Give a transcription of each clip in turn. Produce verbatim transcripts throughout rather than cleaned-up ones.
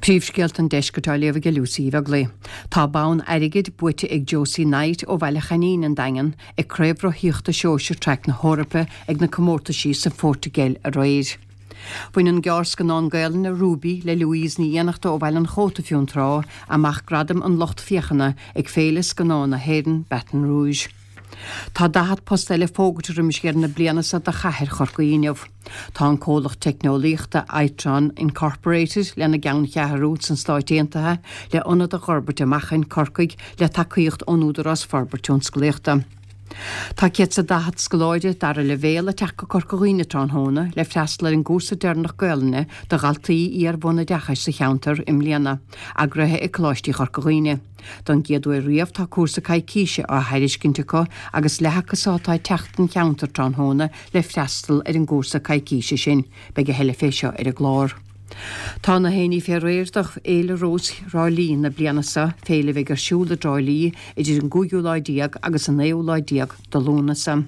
Príomhscéalta an Deiscirt á léamh ag Lucy Uí Bheaglaoich. Tá bonn airgid buaite ag Josie Knight ó Bhaile Chainín an Daingean ag Craobh Rothaíochta Sóisir Traic na hEorpa ag na comórtaisí sa Phortaingéil aréir. Bhain an gearrscannán Gaelainne Ruby le Louise Ní Fhiannachta ó Bhaile an Chóta Fionntrá amach gradam an lucht féachana ag Féile Scannán na hÉireann Baton Rouge. Tá daichead post eile fógartha roimis dheireadh na bliana seo do chathair Chorcaí inniu. Tá an comhlacht teicneolaíochta Itron Incorporated lena gceanncheathrú sna Stáit Aontaithe le ionad a fhorbairt amach in Corcaigh le tacaíocht ón Údarás Forbartha Tionsclaíochta. Tá céad is daichead scoláire dara leibhéal ag teacht go Corca Dhuibhne tráthnóna le freastal ar an gcúrsa deireanach Gaelainne do dhaltaí iar-bhunoideachais sa cheantar i mbliana, eagraithe ag Coláistí Chorca Dhuibhne. Don gcéad uair riamh tá cúrsa coicíse á thairiscint acu agus leath acu seo atá ag teacht don cheantar tráthnóna le freastal ar an gcúrsa coicíse sin. Beidh a thuilleadh fé seo ar an gclár. Tá na héinní fé réir do Fhéile Rós Thrá Lí na bliana seo, féile a bheidh ar siúl i dTrá Lí idir an gcúigiú lá déag agus an naoú lá déag de Lúnasa.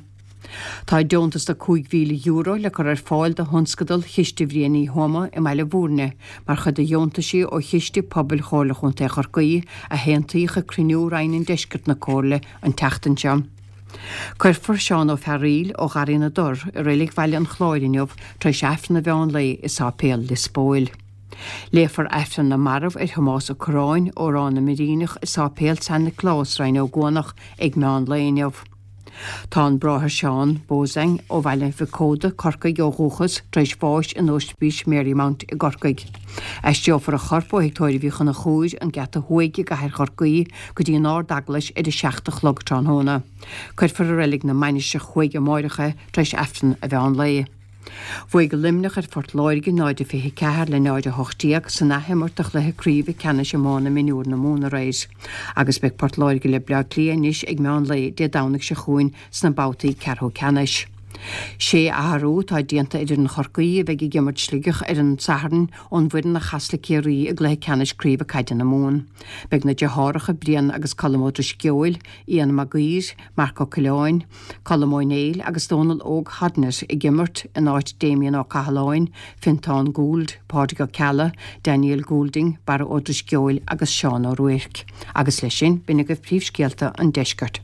Tá deontas de cúig mhíle euro le cur ar fáil do thionscadal Chiste Bhriain Uí Thuama i mBaile Bhúirne mar chuid de dheontaisí ó Chiste Pobail Chomhairle Chontae Chorcaí a haontaíodh ag cruinniú Roinn an Deiscirt na Comhairle an tseachtain seo. Cuirfear Seán Ó Fearraíl ó Gharraí na dTor i Reilig Bhaile an Chláir inniu tar éis Aifreann an mheán lae i Sáipéal Lios Póil. Léifear Aifreann na Marbh ar Thomás Ó Curráin ó Ráth na mBiríneach i Sáipéal San Nioclás, Rinn Ó gCuanach ag meán lae inniu. Tá an Bráthair Seán Bozang ó Bhaile Mhic Códa, Corcaigh ó dhúchas, tar éis bháis in Ospís Marymount i gCorcaigh. Aistreofar a chorp ó Thigh Tórraimh Uí Chonchúir, an Geata Thuaidh i gCathair Chorcaí, go dtí an Ard-Eaglais ar a seacht a chlog tráthnóna. Cuirfear i Reilig na Mainistreach Thuaidh amáireach é tar éis Aifreann a mheán lae. Bhuaigh Luimneach ar Phort Láirge náid a fiche ceathair le náid a hocht déag san athimirt de chluiche craoibhe ceannais iomána mionúr na Mumhan aréir agus beidh Port Láirge le Bleá Cliath anois ag meán lae Dé Domhnaigh seo chugainn sna babhtaí ceathrú ceannais. Sé athrú atá déanta ar fhoireann Chorcaí a bheidh ag imirt Sligeach ar an Satharn ón bhfoireann a chas le Ciarraí i gcluiche ceannais craoibhe caide na Mumhan. Beidh na deartháireacha Brian agus Colm Ó Drisceoil, Ian Mag Uidhir, Marc Ó Coileáin, Colm Ó Néill agus Dónal Óg Hodnett ag imirt in áit Damien Ó Cathaláin, Fintán Gould, Pádraig Ó Ceallaigh, Daniel Goulding, Barra Ó Drisceoil agus Seán Ó Ruairc. Agus leis sin, b'in agaibh príomhscéalta an deiscirt.